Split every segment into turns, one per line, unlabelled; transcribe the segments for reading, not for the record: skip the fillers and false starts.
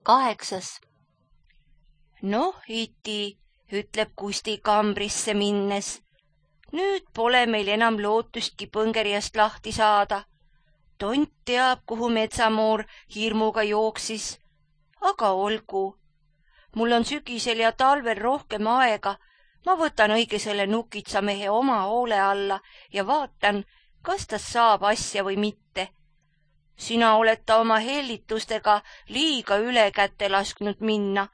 8. Noh, iti, ütleb Kusti kambrisse minnes. Nüüd pole meil enam lootustki põngerjast lahti saada. Tont teab, kuhu metsamoor hirmuga jooksis. Aga olgu. Mul on sügisel ja talvel rohkem aega. Ma võtan õige selle nukitsamehe oma hoole alla ja vaatan, kas ta saab asja või mitte. Sina oled ta oma hellitustega liiga üle kätte lasknud minna.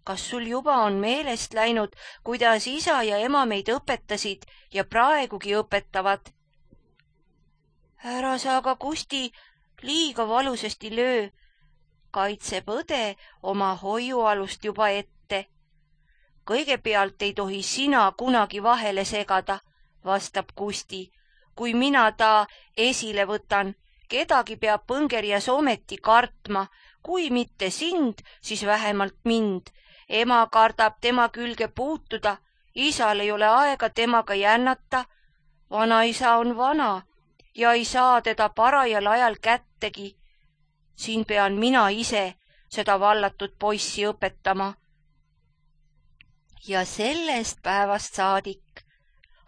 Kas sul juba on meelest läinud, kuidas isa ja ema meid õpetasid ja praegugi õpetavad? Ära sa aga, Kusti, liiga valusasti löö. Kaitseb õde oma hoiualust juba ette. Kõigepealt ei tohi sina kunagi vahele segada, vastab Kusti. Kui mina ta esile võtan, kedagi peab põngerjas ometi kartma. Kui mitte sind, siis vähemalt mind. Ema kardab tema külge puutuda. Isal ei ole aega temaga jännata. Vanaisa on vana ja ei saa teda parajal ajal kättegi. Siin pean mina ise seda vallatud poissi õpetama. Ja sellest päevast saadik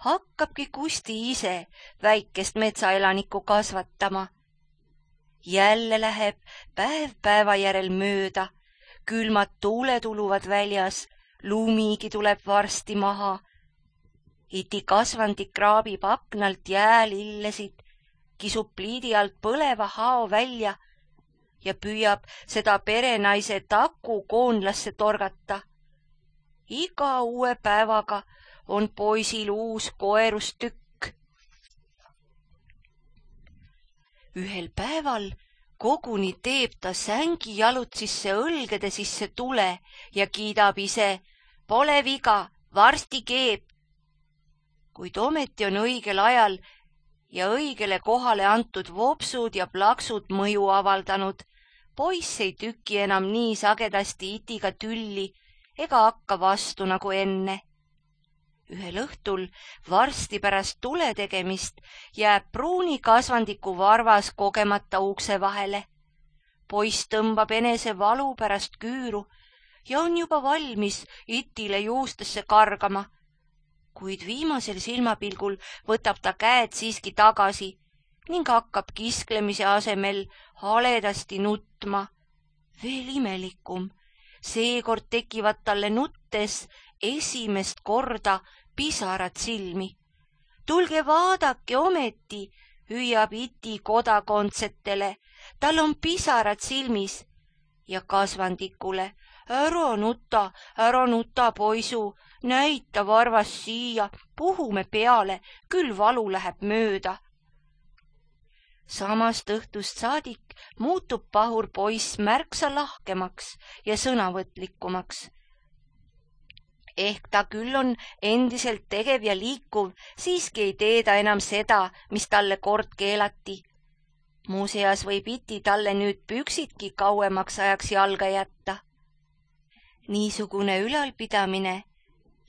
hakkabki Kusti ise väikest metsaelanikku kasvatama. Jälle läheb päev päeva järel mööda, külmad tuuled uluvad väljas, lumigi tuleb varsti maha. Iti kasvandik kraabib aknalt jäälillesid, kisub pliidi alt põleva hao välja ja püüab seda perenaise taku koonlasse torgata. Iga uue päevaga on poisil uus koerustükk. Ühel päeval koguni teeb ta sängi jalutsisse õlgede sisse tule ja kiidab ise, pole viga, varsti keeb. Kuid ometi on õigel ajal ja õigele kohale antud vopsud ja plaksud mõju avaldanud. Poiss ei tüki enam nii sagedasti itiga tülli ega hakka vastu nagu enne. Ühel õhtul varsti pärast tule tegemist jääb pruuni kasvandiku varvas kogemata ukse vahele. Poiss tõmbab enese valu pärast küüru ja on juba valmis itile juustesse kargama. Kuid viimasel silmapilgul võtab ta käed siiski tagasi ning hakkab kisklemise asemel haledasti nutma. Veel imelikum, seekord tekivad talle nuttes esimest korda pisarad silmi. Tulge vaadake ometi, hüüab iti kodakondsetele, tal on pisarad silmis. Ja kasvandikule, ära nuta, poisu, näita varvas siia, puhume peale, küll valu läheb mööda. Samast õhtust saadik muutub pahur poiss märksa lahkemaks ja sõnavõtlikumaks. Ehk ta küll on endiselt tegev ja liikuv, siiski ei tee ta enam seda, mis talle kord keelati. Muuseas võib iti talle nüüd püksidki kauemaks ajaks jalga jätta. Niisugune ülalpidamine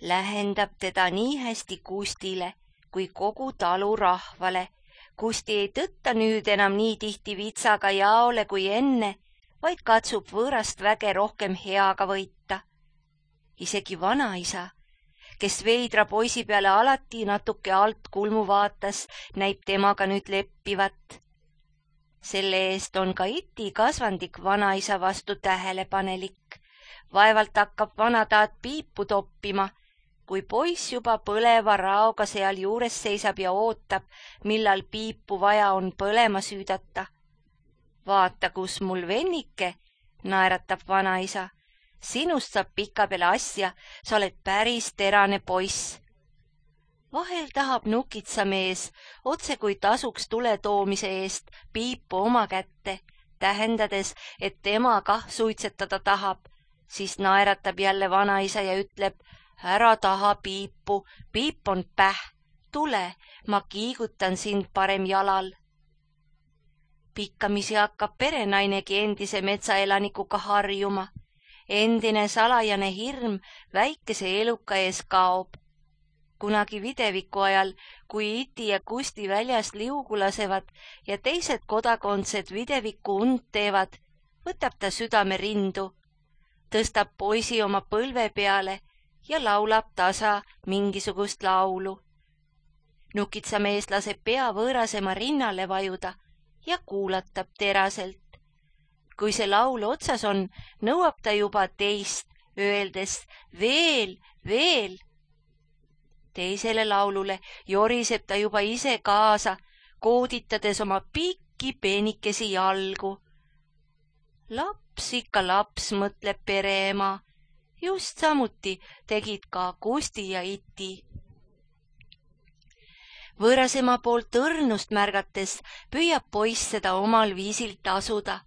lähendab teda nii hästi Kustile kui kogu talu rahvale. Kusti ei tõtta nüüd enam nii tihti vitsaga jaole kui enne, vaid katsub võõrast väge rohkem heaga võita. Isegi vanaisa, kes veidra poisi peale alati natuke alt kulmu vaatas, näib temaga nüüd leppivat. Selle eest on ka iti kasvandik vanaisa vastu tähelepanelik. Vaevalt hakkab vanataat piipu toppima, kui poiss juba põleva raoga seal juures seisab ja ootab, millal piipu vaja on põlema süüdata. Vaata, kus mul vennike, naeratab vanaisa. Sinust saab pikapeale asja, sa oled päris terane poiss. Vahel tahab nukitsamees, otse kui tasuks tule toomise eest, piipu oma kätte, tähendades, et tema kah suitsetada tahab. Siis naeratab jälle vanaisa ja ütleb, ära taha piipu, piip on päh, tule, ma kiigutan sind parem jalal. Pikkamisi hakkab perenainegi endise metsaelanikuga harjuma. Endine salajane hirm väikese eluka ees kaob. Kunagi videviku ajal, kui iti ja Kusti väljas liugu lasevad ja teised kodakondsed videviku und teevad, võtab ta südame rindu tõstab poisi oma põlve peale ja laulab tasa mingisugust laulu. Nukitsamees laseb pea võõrasema rinnale vajuda ja kuulatab teraselt. Kui see laul otsas on, nõuab ta juba teist, öeldes veel, veel. Teisele laulule joriseb ta juba ise kaasa, kooditades oma pikki peenikesi jalgu. Laps ikka laps, mõtleb pereema. Just samuti tegid ka Kusti ja Iti. Võõrasema poolt õrnust märgates püüab poiss seda omal viisil tasuda.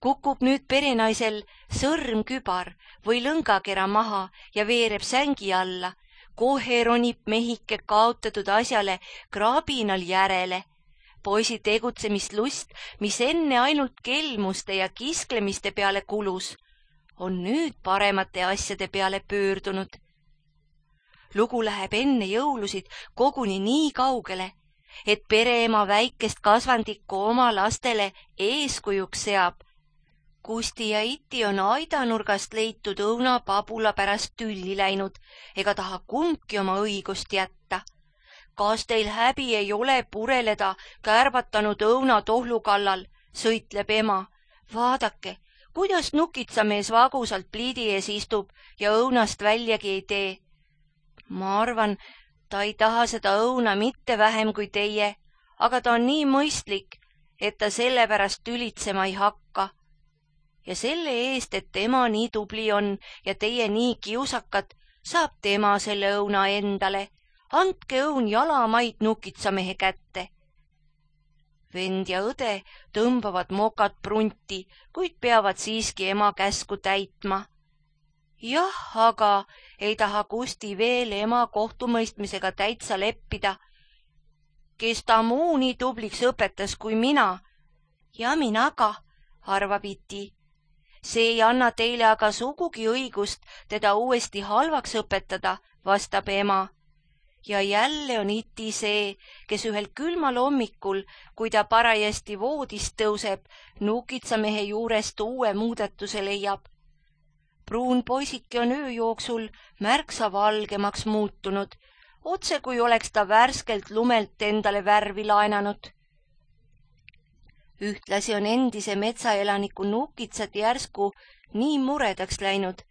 Kukub nüüd perenaisel sõrmkübar või lõngakera maha ja veereb sängi alla. Kohe ronib mehike kaotatud asjale kraabinal järele. Poisi tegutsemislust, mis enne ainult kelmuste ja kisklemiste peale kulus, on nüüd paremate asjade peale pöördunud. Lugu läheb enne jõulusid koguni nii kaugele, et pereema väikest kasvandikku oma lastele eeskujuks seab. Kusti ja Iti on aidanurgast leitud õunapabula pärast tülli läinud ega taha kumbki oma õigust jätta. Kas teil häbi ei ole pureleda kärbatanud õunatohlu kallal, sõitleb ema. Vaadake, kuidas nukitsamees vagusalt pliidi ees istub ja õunast väljagi ei tee. Ma arvan, ta ei taha seda õuna mitte vähem kui teie, aga ta on nii mõistlik, et ta sellepärast tülitsema ei hakka. Ja selle eest, et tema nii tubli on ja teie nii kiusakad, saab tema selle õuna endale. Andke õun jalamaid nukitsamehe kätte. Vend ja õde tõmbavad mokad prunti, kuid peavad siiski ema käsku täitma. Jah, aga ei taha Kusti veel ema kohtumõistmisega täitsa leppida. Kes ta muu nii tubliks õpetas kui mina? Ja mina ka, arvab Iti. See ei anna teile aga sugugi õigust teda uuesti halvaks õpetada, vastab ema. Ja jälle on Iti see, kes ühel külmal hommikul, kui ta parajasti voodist tõuseb, nukitsamehe juurest uue muudatuse leiab. Pruun poisike on öö jooksul märksa valgemaks muutunud, otse kui oleks ta värskelt lumelt endale värvi laenanud. Ühtlasi on endise metsaelaniku nukitsad järsku nii muredaks läinud,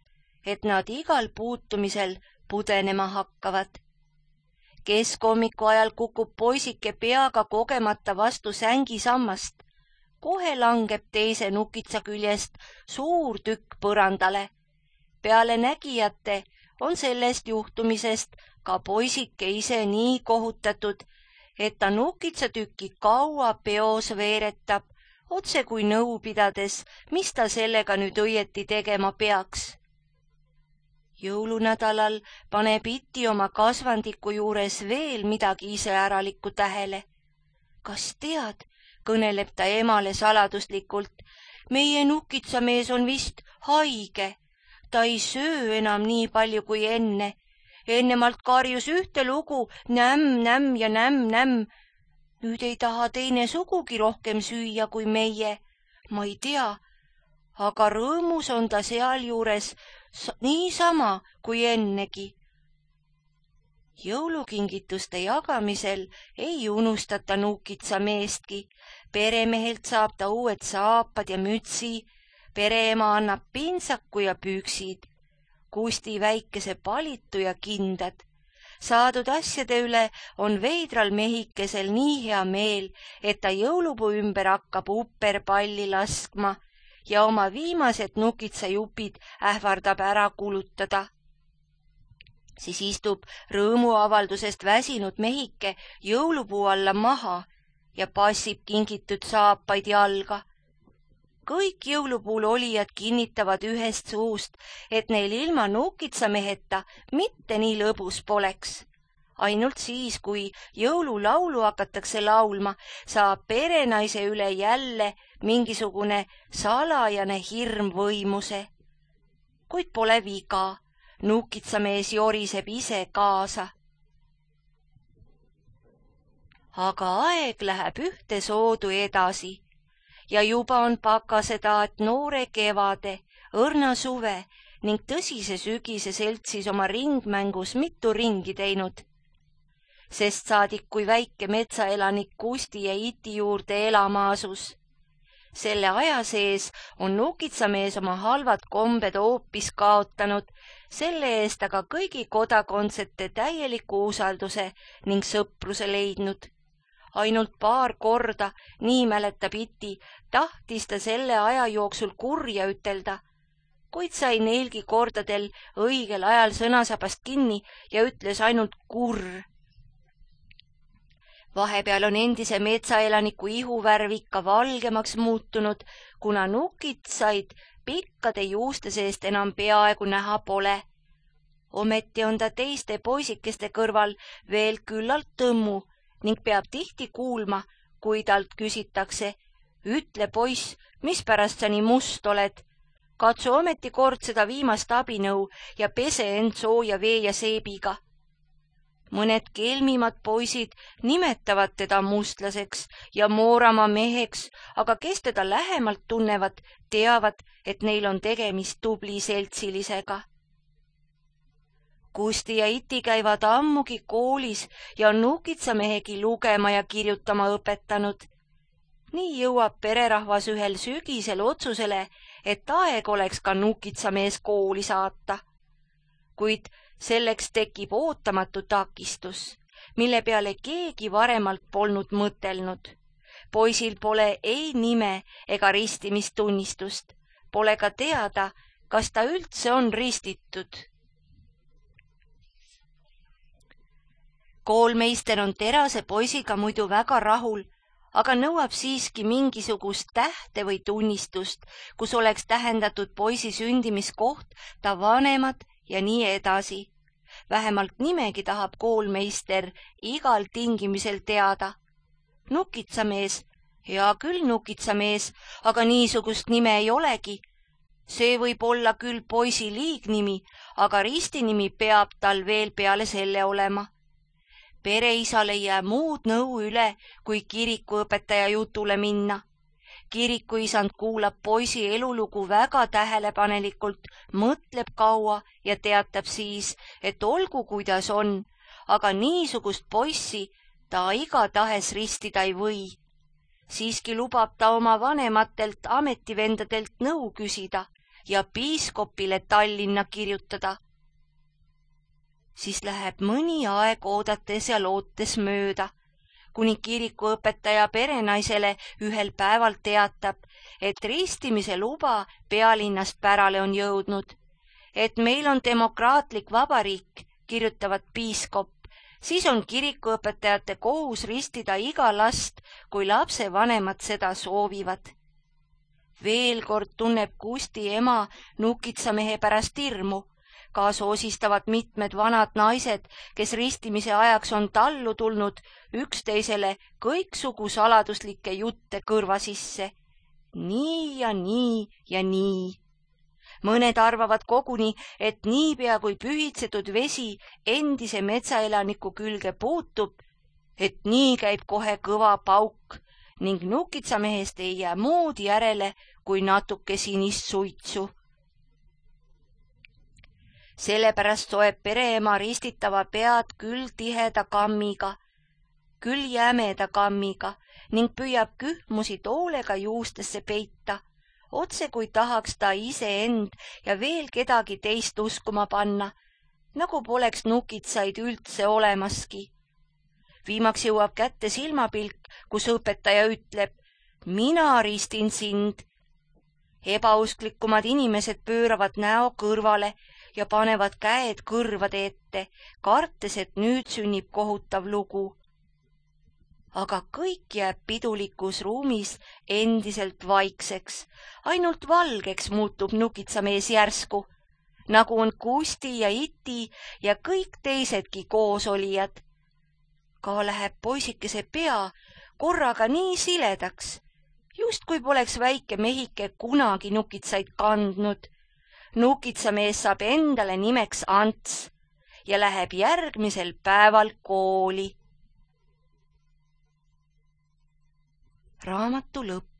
et nad igal puutumisel pudenema hakkavad. Keskhommikul ajal kukub poisike peaga kogemata vastu sängisammast. Kohe langeb teise nukitsa küljest suur tükk põrandale. Peale nägijate on sellest juhtumisest ka poisike ise nii kohutatud, et ta nukitsatükki kaua peos veeretab, otse kui nõu pidades, mis ta sellega nüüd õieti tegema peaks. Jõulunädalal paneb Iti oma kasvandiku juures veel midagi iseäralikku tähele. Kas tead, kõneleb ta emale saladuslikult, meie nukitsamees on vist haige. Ta ei söö enam nii palju kui enne. Ennemalt karjus ühte lugu nämm, nämm ja nämm, nämm. Nüüd ei taha teine sugugi rohkem süüa kui meie. Ma ei tea, aga rõõmus on ta sealjuures niisama kui ennegi. Jõulukingituste jagamisel ei unustata nukitsameestki. Peremehelt saab ta uued saapad ja mütsi. Pereema annab pintsaku ja püksid. Kusti väikese palitu ja kindad. Saadud asjade üle on veidral mehikesel nii hea meel, et ta jõulupuu ümber hakkab uperpalli laskma ja oma viimased nukitsajupid ähvardab ära kulutada. Siis istub rõõmuavaldusest väsinud mehike jõulupuu alla maha ja passib kingitud saapaid jalga. Kõik jõulupuul olijad kinnitavad ühest suust, et neil ilma nukitsameheta mitte nii lõbus poleks. Ainult siis, kui jõululaulu hakatakse laulma, saab perenaise üle jälle mingisugune salajane hirm võimuse. Kuid pole viga, nukitsamees joriseb ise kaasa. Aga aeg läheb ühte soodu edasi ja juba on pakasetaat noore kevade, õrna suve ning tõsise sügise seltsis oma ringmängus mitu ringi teinud. Sest saadik, kui väike metsaelanik Kusti ja Iti juurde elama asus. Selle aja sees on Nukitsamees oma halvad kombed hoopis kaotanud, selle eest aga kõigi kodakondsete täieliku usalduse ning sõpruse leidnud. Ainult paar korda, nii mäletab Iti, tahtis ta selle aja jooksul kurja ütelda, kuid sai neilgi kordadel õigel ajal sõnasabast kinni ja ütles ainult kurr. Vahepeal on endise metsaelaniku ihuvärv ikka valgemaks muutunud, kuna nukitsaid pikkade juuste seest enam peaaegu näha pole. Ometi on ta teiste poisikeste kõrval veel küllalt tõmmu ning peab tihti kuulma, kui talt küsitakse, ütle poiss, mispärast sa nii must oled? Katsu ometi kord seda viimast abinõu ja pese end sooja vee ja seebiga. Mõned kelmimad poisid nimetavad teda mustlaseks ja Mooramaa meheks, aga kes teda lähemalt tunnevad, teavad, et neil on tegemist tubli seltsilisega. Kusti ja Iti käivad ammugi koolis ja on Nukitsamehegi lugema ja kirjutama õpetanud. Nii jõuab pererahvas ühel sügisel otsusele, et aeg oleks ka Nukitsamees kooli saata. Kuid selleks tekib ootamatu takistus, mille peale keegi varemalt polnud mõtelnud. Poisil pole ei nime ega ristimistunnistust, pole ka teada, kas ta üldse on ristitud. Koolmeister on terase poisiga muidu väga rahul, aga nõuab siiski mingisugust tähte või tunnistust, kus oleks tähendatud poisi sündimiskoht, ta vanemad ja nii edasi. Vähemalt nimegi tahab koolmeister igal tingimisel teada. Nukitsamees, hea küll Nukitsamees, aga niisugust nime ei olegi. See võib olla küll poisi liignimi, aga ristinimi peab tal veel peale selle olema. Pereisal ei jää muud nõu üle, kui kirikuõpetaja jutule minna. Kirikuisand kuulab poisi elulugu väga tähelepanelikult, mõtleb kaua ja teatab siis, et olgu kuidas on, aga niisugust poissi ta igatahes ristida ei või. Siiski lubab ta oma vanematelt ametivendadelt nõu küsida ja piiskopile Tallinna kirjutada. Siis läheb mõni aeg oodates ja lootes mööda, kuni kirikuõpetaja perenaisele ühel päeval teatab, et ristimise luba pealinnast pärale on jõudnud. Et meil on demokraatlik vabariik, kirjutavad piiskop, siis on kirikuõpetajate kohus ristida iga last, kui lapse vanemad seda soovivad. Veel kord tunneb Kusti ema Nukitsamehe pärast hirmu. Kaasa osistavad mitmed vanad naised, kes ristimise ajaks on tallu tulnud üksteisele kõiksugu saladuslikke jutte kõrva sisse. Nii ja nii ja nii. Mõned arvavad koguni, et niipea kui pühitsetud vesi endise metsaelaniku külge puutub, et nii käib kohe kõva pauk ning Nukitsamehest ei jää muud järele kui natuke sinist suitsu. Sellepärast soeb pereema ristitava pead küll tiheda kammiga, küll jämeda kammiga ning püüab kühmusi toolega juustesse peita, otse kui tahaks ta iseend ja veel kedagi teist uskuma panna, nagu poleks nukitsaid üldse olemaski. Viimaks jõuab kätte silmapilk, kus õpetaja ütleb, mina ristin sind. Ebausklikumad inimesed pööravad näo kõrvale ja panevad käed kõrvade ette, kartes, et nüüd sünnib kohutav lugu. Aga kõik jääb pidulikus ruumis endiselt vaikseks, ainult valgeks muutub Nukitsamees järsku, nagu on Kusti ja Iti ja kõik teisedki koosolijad. Ka läheb poisikese pea korraga nii siledaks, just kui poleks väike mehike kunagi nukitsaid kandnud. Nukitsamees saab endale nimeks Ants ja läheb järgmisel päeval kooli. Raamatu lõpp.